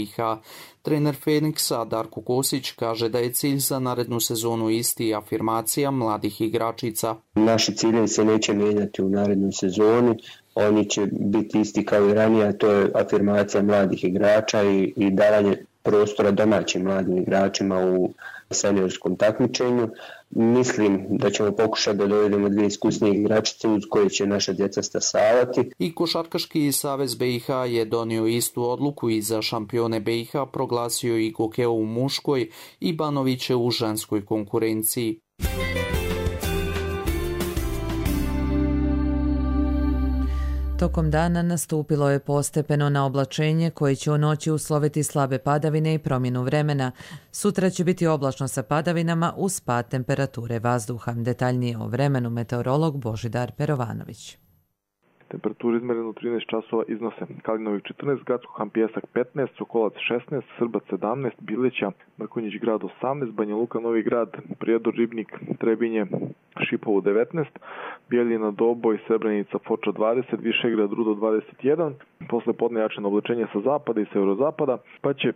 Trener Feniksa Darko Kosić kaže da je cilj za narednu sezonu isti, afirmacija mladih igračica. Naši ciljevi se neće mijenjati u narednoj sezoni, oni će biti isti kao i ranije, a to je afirmacija mladih igrača i davanje prostora domaćim mladim igračima u seniorskom takmičenju. Mislim da ćemo pokušati da dovedemo dvije iskusnije igračice uz koje će naša djeca stasavati. I Košarkaški savez BiH je donio istu odluku i za šampione BiH proglasio IGOK u muškoj i Banoviće u ženskoj konkurenciji. Tokom dana nastupilo je postepeno na oblačenje koje će u noći usloviti slabe padavine i promjenu vremena. Sutra će biti oblačno sa padavinama uz pad temperature vazduha. Detaljnije o vremenu meteorolog Božidar Perovanović. Temperature izmerene u 13 časova iznose Kalinovik 14, Gradsko Han Pijesak 15, Sokolac 16, Srbac 17, Bileća, Mrkonjić grad 18, Banja Luka, Novi grad, Prijedor, Ribnik, Trebinje, Šipovo 19, Bijeljina, Doboj, Srebrenica, Foča 20, Višegrad, Rudo 21, posle podne jačeno oblačenje sa zapada i severozapada, pa će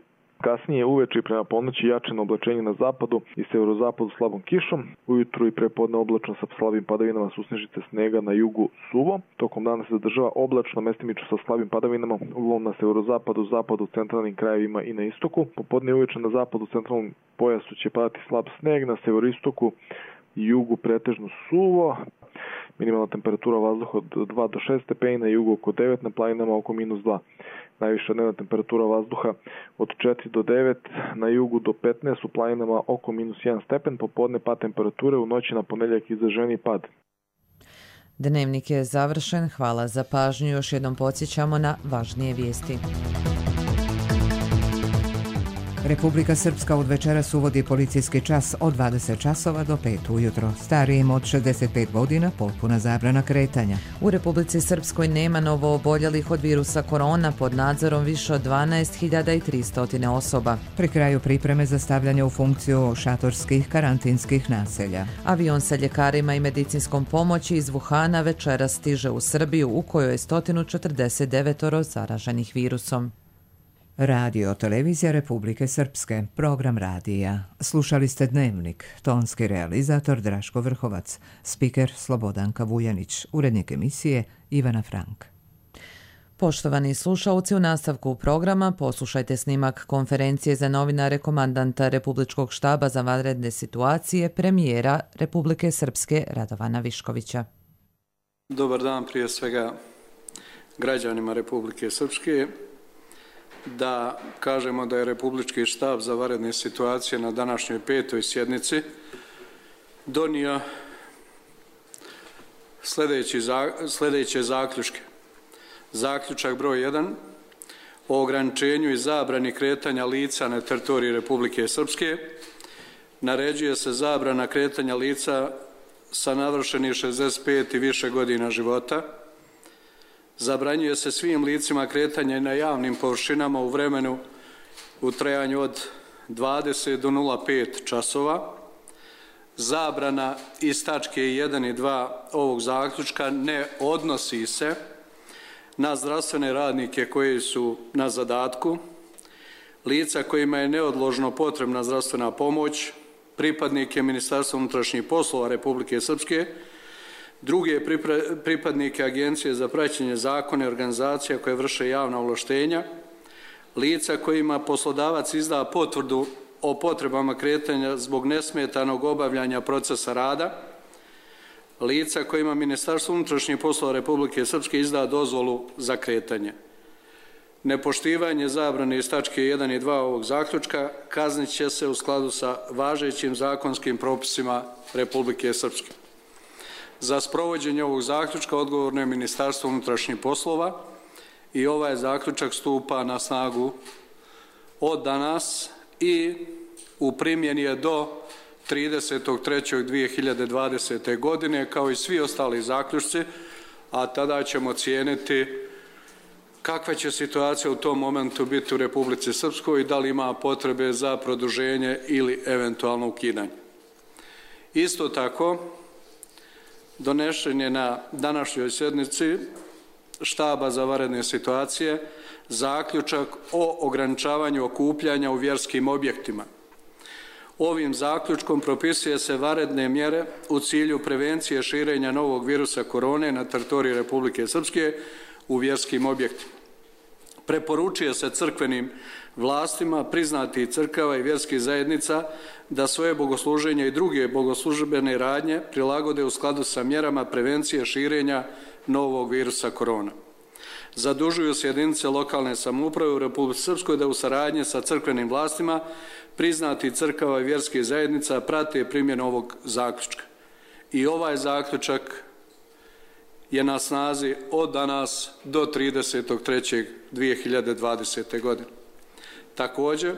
kasnije uveče i prema ponoći jačeno oblačenje na zapadu i severozapadu slabom kišom. Ujutru i prepodne oblačno sa slabim padavinama, susnežice snega, na jugu suvo. Tokom dana se zadržava oblačno, mestimično sa slabim padavinama, uglavnom na severozapadu, zapadu, centralnim krajevima i na istoku. Popodne i uveče na zapadu, centralnom pojasu će padati slab sneg, na severistoku i jugu pretežno suvo. Minimalna temperatura vazduha od 2 do 6 stepeni, na jugu oko 9, na planinama oko -2. Najviša dnevna temperatura vazduha od 4 do 9, na jugu do 15, u planinama oko -1 stepen, popodne pad temperature, u noći na ponedjeljak izraženiji pad. Dnevnik je završen, hvala za pažnju, još jednom podsjećamo na važnije vijesti. Republika Srpska od večeras uvodi policijski čas od 20 časova do 5 ujutro. Starijim od 65 godina potpuna zabrana kretanja. U Republici Srpskoj nema novo oboljelih od virusa korona, pod nadzorom više od 12.300 osoba. Pri kraju pripreme za stavljanje u funkciju šatorskih karantinskih naselja. Avion sa ljekarima i medicinskom pomoći iz Wuhana večeras stiže u Srbiju, u kojoj je 149 zaraženih virusom. Radio Televizija Republike Srpske, program radija. Slušali ste Dnevnik, tonski realizator Draško Vrhovac, spiker Slobodanka Vujanić, urednik emisije Ivana Frank. Poštovani slušalci, u nastavku programa poslušajte snimak konferencije za novinare komandanta Republičkog štaba za vanredne situacije premijera Republike Srpske Radovana Viškovića. Dobar dan prije svega građanima Republike Srpske. Da kažemo da je Republički štab za vanredne situacije na današnjoj 5. sjednici donio sljedeće zaključke. Zaključak broj 1. O ograničenju i zabrani kretanja lica na teritoriji Republike Srpske. Naređuje se zabrana kretanja lica sa navršenih 65 i više godina života. Zabranjuje se svim licima kretanje na javnim površinama u vremenu u trajanju od 20 do 05 časova. Zabrana iz tačke 1 i 2 ovog zaključka ne odnosi se na zdravstvene radnike koji su na zadatku lica kojima je neodložno potrebna zdravstvena pomoć, pripadnike Ministarstva unutrašnjih poslova Republike Srpske, druge pripadnike Agencije za praćenje zakona i organizacija koje vrše javna ovlaštenja, lica kojima poslodavac izda potvrdu o potrebama kretanja zbog nesmetanog obavljanja procesa rada, lica kojima Ministarstvo unutrašnjih poslova Republike Srpske izda dozvolu za kretanje. Nepoštivanje zabrane iz tačke 1 i 2 ovog zaključka kaznit će se u skladu sa važećim zakonskim propisima Republike Srpske. Za sprovođenje ovog zaključka odgovorno je Ministarstvo unutrašnjih poslova i ovaj zaključak stupa na snagu od danas i u primjeni je do 30.3.2020. godine, kao i svi ostali zaključci, a tada ćemo cijeniti kakva će situacija u tom momentu biti u Republici Srpskoj i da li ima potrebe za produženje ili eventualno ukidanje. Isto tako, donešen je na današnjoj sjednici štaba za vanredne situacije zaključak o ograničavanju okupljanja u vjerskim objektima. Ovim zaključkom propisuje se vanredne mjere u cilju prevencije širenja novog virusa korone na teritoriji Republike Srpske u vjerskim objektima. Preporučuje se crkvenim vlastima priznatih crkava i vjerskih zajednica da svoje bogosluženje i druge bogoslužbene radnje prilagode u skladu sa mjerama prevencije širenja novog virusa korona. Zadužuju se jedinice lokalne samouprave u Republici Srpskoj da u saradnji sa crkvenim vlastima priznatih crkava i vjerskih zajednica prate primjenu ovog zaključka. I ovaj zaključak je na snazi od danas do 30.3.2020. godine. Također,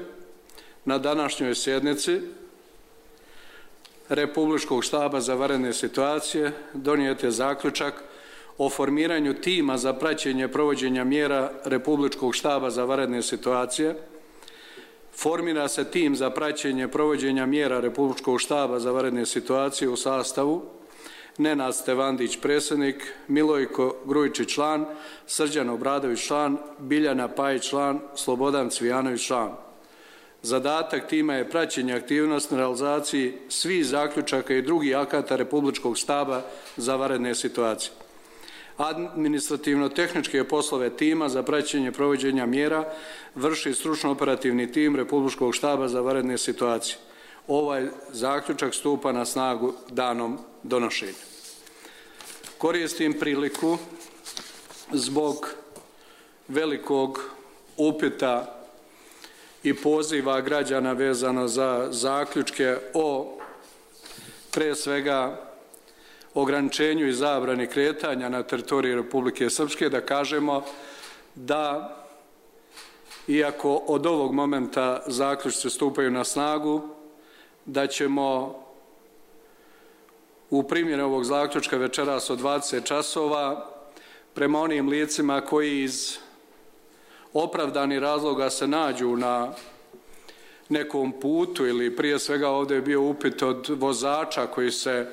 na današnjoj sjednici Republičkog štaba za vanredne situacije donijet je zaključak o formiranju tima za praćenje provođenja mjera Republičkog štaba za vanredne situacije. Formira se tim za praćenje provođenja mjera Republičkog štaba za vanredne situacije u sastavu Nenad Stevandić predsjednik, Milojko Grujičić član, Srđan Obradović član, Biljana Pajić član, Slobodan Cvijanović član. Zadatak tima je praćenje aktivnosti na realizaciji svih zaključaka i drugih akata Republičkog štaba za vanredne situacije. Administrativno-tehničke poslove tima za praćenje provođenja mjera vrši stručno-operativni tim Republičkog štaba za vanredne situacije. Ovaj zaključak stupa na snagu danom donošenja. Koristim priliku zbog velikog upita i poziva građana vezano za zaključke o pre svega ograničenju i zabrani kretanja na teritoriji Republike Srpske da kažemo da iako od ovog momenta zaključci stupaju na snagu, da ćemo u primjeni ovog zaključka večeras od 20 časova prema onim licima koji iz opravdanih razloga se nađu na nekom putu ili prije svega ovdje je bio upit od vozača koji se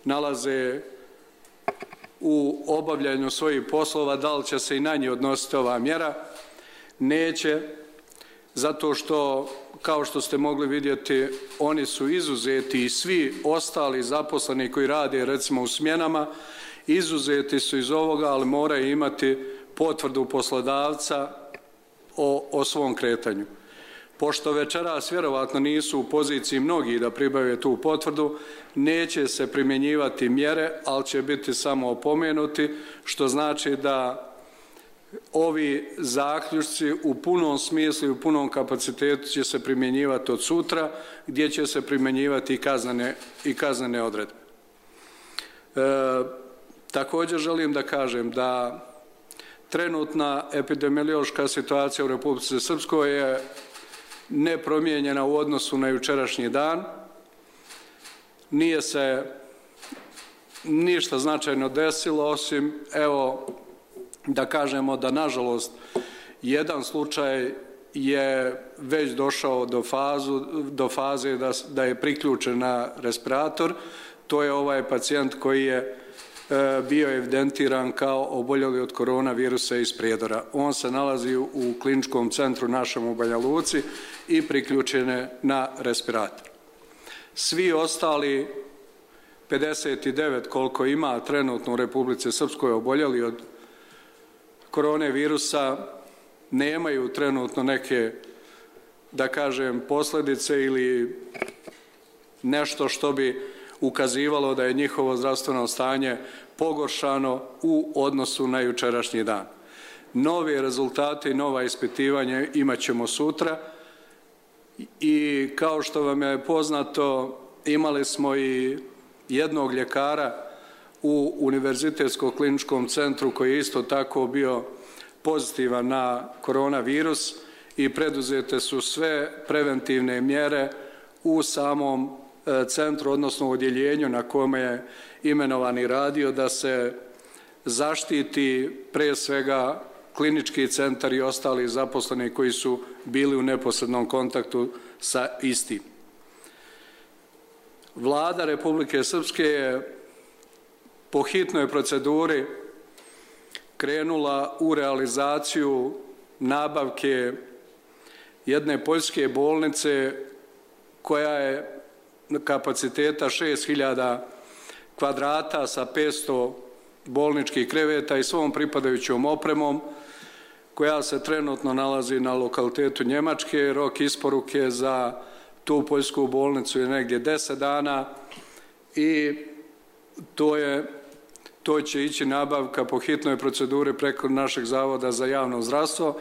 nalaze u obavljanju svojih poslova, da li će se i na njih odnositi ova mjera? Neće, zato što, kao što ste mogli vidjeti, oni su izuzeti i svi ostali zaposleni koji rade recimo u smjenama, izuzeti su iz ovoga, ali moraju imati potvrdu poslodavca o svom kretanju. Pošto večeras vjerovatno nisu u poziciji mnogi da pribave tu potvrdu, neće se primjenjivati mjere, ali će biti samo opomenuti, što znači da ovi zaključci u punom smislu i u punom kapacitetu će se primjenjivati od sutra, gdje će se primjenjivati i kaznene odredbe. Također želim da kažem da trenutna epidemiološka situacija u Republici Srpskoj je nepromijenjena u odnosu na jučerašnji dan. Nije se ništa značajno desilo, osim, evo, da kažemo da, nažalost, jedan slučaj je već došao do faze da je priključen na respirator. To je ovaj pacijent koji je bio evidentiran kao oboljeli od koronavirusa iz Prijedora. On se nalazi u kliničkom centru našem u Banja Luci i priključen je na respirator. Svi ostali 59 koliko ima trenutno u Republici Srpskoj oboljeli od koronavirusa nemaju trenutno neke, da kažem, posljedice ili nešto što bi ukazivalo da je njihovo zdravstveno stanje pogoršano u odnosu na jučerašnji dan. Nove rezultate i nova ispitivanja imat ćemo sutra i kao što vam je poznato imali smo i jednog ljekara u Univerzitetskom kliničkom centru koji je isto tako bio pozitivan na koronavirus i preduzete su sve preventivne mjere u samom centru, odnosno odjeljenju na kome je imenovani radio da se zaštiti pre svega klinički centar i ostali zaposleni koji su bili u neposrednom kontaktu sa istim. Vlada Republike Srpske je po hitnoj proceduri krenula u realizaciju nabavke jedne poljske bolnice koja je kapaciteta 6000 kvadrata sa 500 bolničkih kreveta i svom pripadajućom opremom koja se trenutno nalazi na lokalitetu Njemačke. Rok isporuke za tu poljsku bolnicu je negdje 10 dana i to će ići nabavka po hitnoj proceduri preko našeg Zavoda za javno zdravstvo.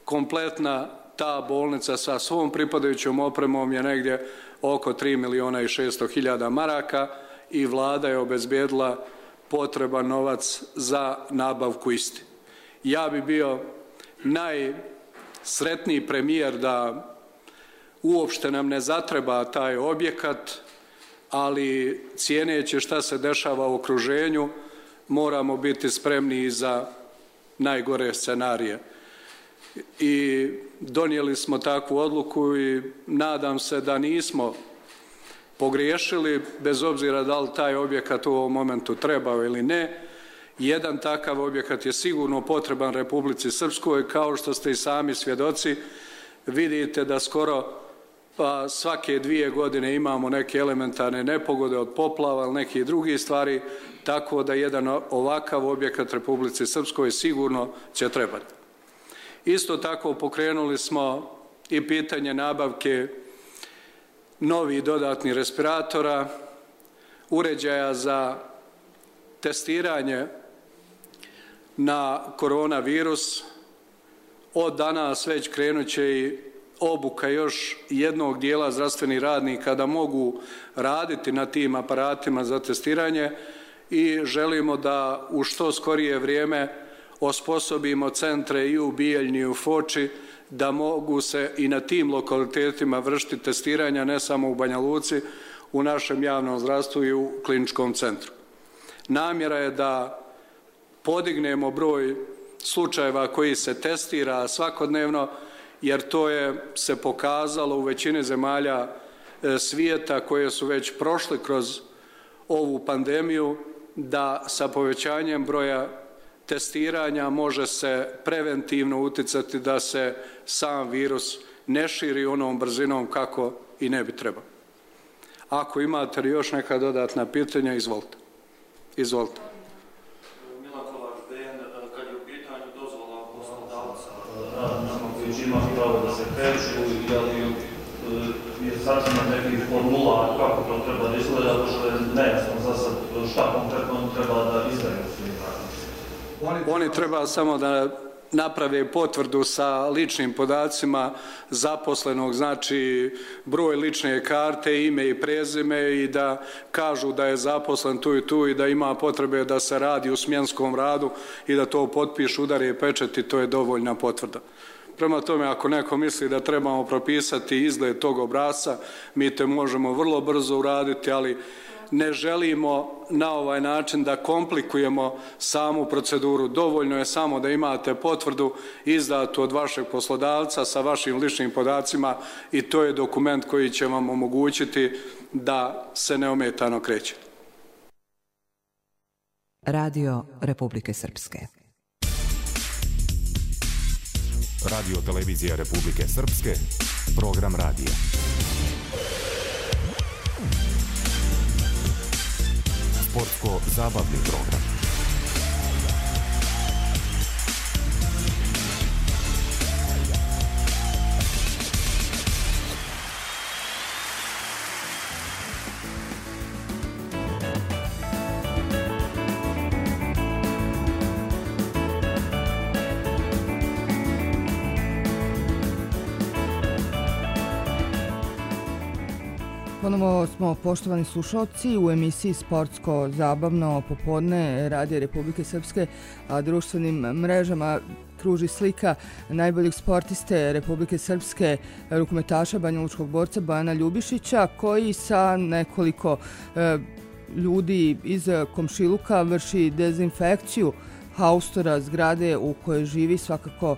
Kompletna ta bolnica sa svom pripadajućom opremom je negdje oko 3.600.000 maraka i vlada je obezbijedila potreban novac za nabavku isti. Ja bi bio najsretniji premijer da uopšte nam ne zatreba taj objekat, ali cijeneći šta se dešava u okruženju, moramo biti spremni i za najgore scenarije. I donijeli smo takvu odluku i nadam se da nismo pogriješili, bez obzira da li taj objekat u ovom momentu trebao ili ne. Jedan takav objekat je sigurno potreban Republici Srpskoj, kao što ste i sami svjedoci. Vidite da skoro svake 2 godine imamo neke elementarne nepogode od poplava ili nekih drugih stvari, tako da jedan ovakav objekat Republici Srpskoj sigurno će trebati. Isto tako pokrenuli smo i pitanje nabavke novih dodatnih respiratora, uređaja za testiranje na koronavirus. Od danas već krenut će i obuka još jednog dijela zdravstvenih radnika da mogu raditi na tim aparatima za testiranje i želimo da u što skorije vrijeme osposobimo centre i u Bijeljni i u Foči da mogu se i na tim lokalitetima vršiti testiranja, ne samo u Banja Luci, u našem javnom zdravstvu i u kliničkom centru. Namjera je da podignemo broj slučajeva koji se testira svakodnevno, jer to je se pokazalo u većini zemalja svijeta koje su već prošle kroz ovu pandemiju, da sa povećanjem broja testiranja može se preventivno uticati da se sam virus ne širi onom brzinom kako i ne bi trebao. Ako imate još neka dodatna pitanja, izvolite. Izvolite. Milan Kovač, kad je u pitanju dozvola poslodavca radnicima koji će imati pravo da se kreću, je sačinjen neki formular kako to treba da izgleda, pošto je nejasno za sad šta konkretno treba da izdaju svim radnicima. Oni treba samo da naprave potvrdu sa ličnim podacima zaposlenog, znači broj lične karte, ime i prezime i da kažu da je zaposlen tu i tu i da ima potrebe da se radi u smjenskom radu i da to potpišu, udare pečat i to je dovoljna potvrda. Prema tome, ako neko misli da trebamo propisati izgled tog obrasca, mi to možemo vrlo brzo uraditi, ali ne želimo na ovaj način da komplikujemo samu proceduru. Dovoljno je samo da imate potvrdu izdatu od vašeg poslodavca sa vašim ličnim podacima i to je dokument koji će vam omogućiti da se neometano krećete. Radio Republike Srpske. Radio televizija Republike Srpske, program radija. Sportsko-zabavni program. Ponovo smo, poštovani slušalci, u emisiji Sportsko-zabavno popodne Radija Republike Srpske, a društvenim mrežama kruži slika najboljeg sportiste Republike Srpske, rukometaša banjalučkog borca Bojana Ljubišića, koji sa nekoliko ljudi iz komšiluka vrši dezinfekciju haustora, zgrade u kojoj živi. Svakako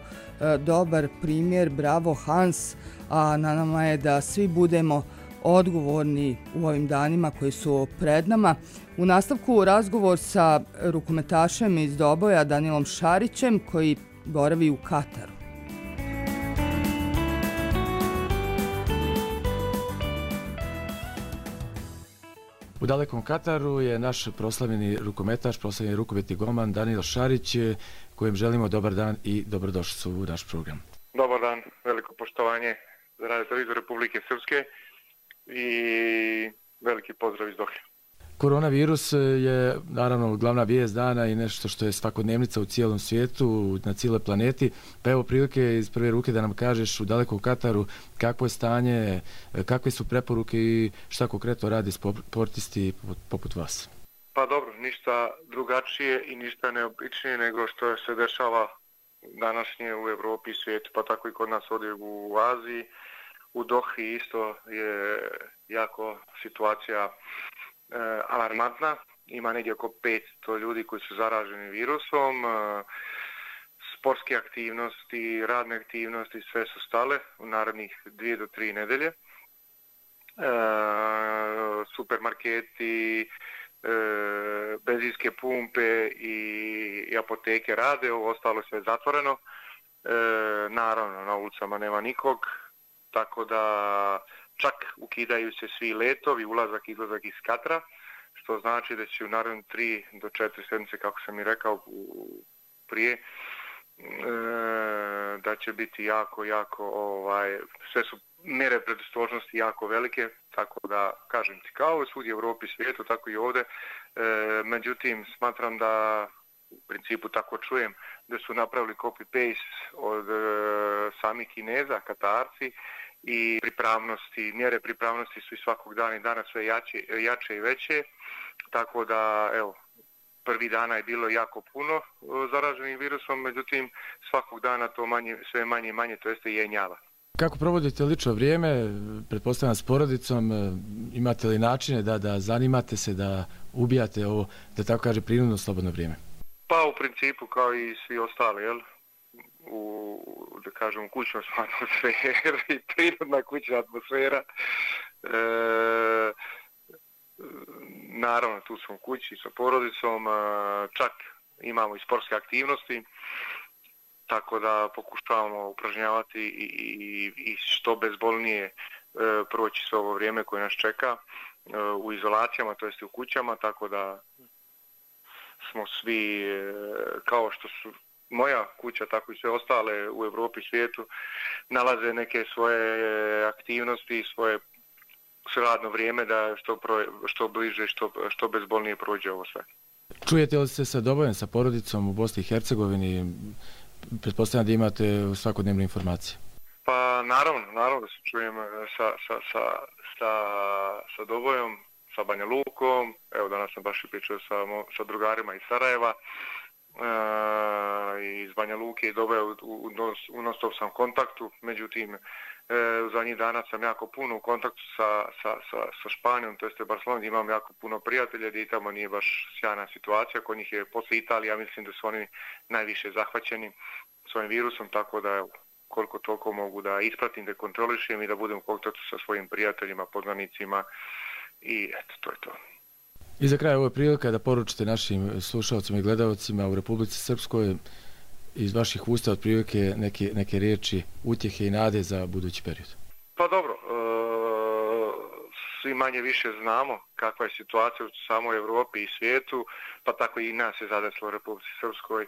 dobar primjer, bravo Hans, a na nama je da svi budemo odgovorni u ovim danima koji su pred nama. U nastavku razgovor sa rukometašem iz Doboja Danilom Šarićem, koji boravi u Kataru. U dalekom Kataru je naš proslavljeni rukometaš, proslavljeni rukometni golman Danilo Šarić, kojem želimo dobar dan i dobrodošlicu u naš program. Dobar dan, veliko poštovanje za Radio televiziju Republike Srpske i veliki pozdrav iz Dohe. Koronavirus je naravno glavna vijest dana i nešto što je svakodnevnica u cijelom svijetu, na cijeloj planeti. Pa evo prilike iz prve ruke da nam kažeš u dalekom Kataru kakvo je stanje, kakve su preporuke i šta konkretno radi sportisti poput vas. Pa dobro, ništa drugačije i ništa neobičnije nego što se dešava današnje u Evropi i svijetu, pa tako i kod nas ovdje u Aziji. U Dohi isto je jako situacija alarmantna. Ima negdje oko 500 ljudi koji su zaraženi virusom. Sportske aktivnosti, radne aktivnosti, sve su stale u narednih 2 do 3 nedelje. Supermarketi, benzinske pumpe i apoteke rade, ovo ostalo sve zatvoreno. Naravno, na ulicama nema nikog. Tako da čak ukidaju se svi letovi, ulazak, izlazak iz Katara, što znači da će u naredne 3 do 4 sedmice, kako sam i rekao prije, da će biti jako, sve su mjere predostrožnosti jako velike, tako da, kažem ti, kao svugdje u Evropi i svijetu, tako i ovdje. Međutim, smatram da, u principu tako čujem, da su napravili copy-paste od samih Kineza, Katarci, i pripravnosti, mjere pripravnosti su i svakog dana i dana sve jače i veće, tako da, evo, prvi dana je bilo jako puno zaraženih virusom, međutim, svakog dana to sve manje i manje, to jeste jenjava. Kako provodite lično vrijeme, pretpostavljam s porodicom, imate li načine da zanimate se, da ubijate ovo, da tako kaže, prirodno slobodno vrijeme? Pa u principu kao i svi ostali, jel? Da kažem, kućna atmosfera i prirodna kućna atmosfera. Naravno, tu smo u kući sa porodicom, čak imamo i sportske aktivnosti, tako da pokušavamo upražnjavati i što bezbolnije proći sve ovo vrijeme koje nas čeka u izolacijama, to jest u kućama, tako da smo svi, kao što su moja kuća, tako i sve ostale u Evropi i svijetu, nalaze neke svoje aktivnosti, svoje radno vrijeme da što bliže, što bezbolnije prođe ovo sve. Čujete li se sa Dobojem, sa porodicom u Bosni i Hercegovini? Pretpostavljam da imate svakodnevne informacije. Pa naravno da se čujem sa Dobojom, sa Banja Lukom. Evo, danas sam baš i pričao sa drugarima iz Sarajeva. Iz Banja Luke i Doboja u non-stop sam kontaktu, međutim u zadnjih dana sam jako puno u kontaktu sa Španijom, to jeste Barcelonom, imam jako puno prijatelja gdje i tamo nije baš sjajna situacija, kod njih je posle Italije, ja mislim da su oni najviše zahvaćeni svojim virusom, tako da koliko toliko mogu da ispratim, da kontrolišem i da budem u kontaktu sa svojim prijateljima, poznanicima i eto, to je to. I za kraj ovo je prilika da poručite našim slušalcima i gledalcima u Republici Srpskoj iz vaših usta otprilike neke riječi utjehe i nade za budući period. Pa dobro, svi manje više znamo kakva je situacija u samoj Evropi i svijetu, pa tako i nas je zadeslo u Republici Srpskoj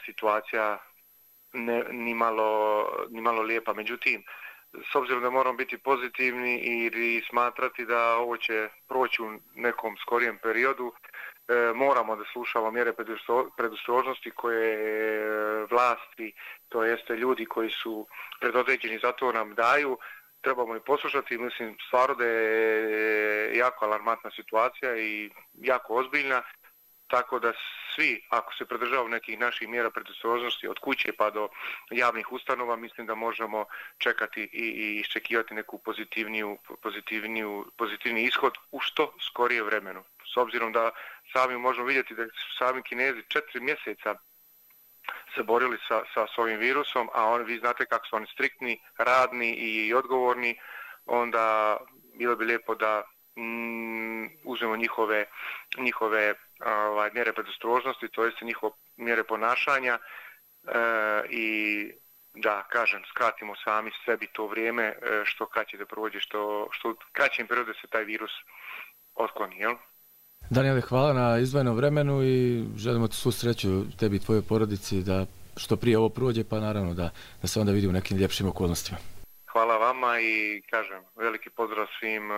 situacija ni malo lijepa. Međutim, s obzirom da moramo biti pozitivni i smatrati da ovo će proći u nekom skorijem periodu, moramo da slušamo mjere predostrožnosti koje vlasti, to jeste ljudi koji su predodređeni za to nam daju, trebamo i poslušati. Mislim stvarno da je jako alarmantna situacija i jako ozbiljna, tako da svi, ako se pridržavaju nekih naših mjera predostrožnosti od kuće pa do javnih ustanova, mislim da možemo čekati i iščekivati neku pozitivni ishod u što skorije vremenu. S obzirom da sami možemo vidjeti da su sami Kinezi 4 mjeseca se borili sa ovim virusom, a vi znate kako su oni striktni, radni i odgovorni, onda bilo bi lijepo da uzmemo njihove mjere predostrožnosti, to jest njihove mjere ponašanja i da, kažem, skratimo sami sebi to vrijeme što kraće da prođe, što u kraćem periodu se taj virus otkloni, jel? Danijele, hvala na izdvojenom vremenu i želimo ti svu sreću tebi i tvojoj porodici da što prije ovo prođe, pa naravno da se onda vidi u nekim ljepšim okolnostima. Hvala vama i kažem veliki pozdrav svim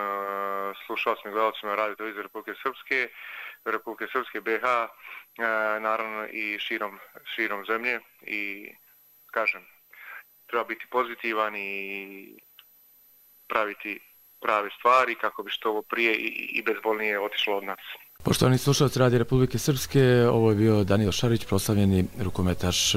slušalcima i gledalcima Radio Televizije Republike Srpske BiH, naravno i širom zemlje i kažem treba biti pozitivan i praviti prave stvari kako bi što ovo prije i bezbolnije otišlo od nas. Poštovani slušalci Radio Republike Srpske, ovo je bio Danijel Šarić, proslavljeni rukometaš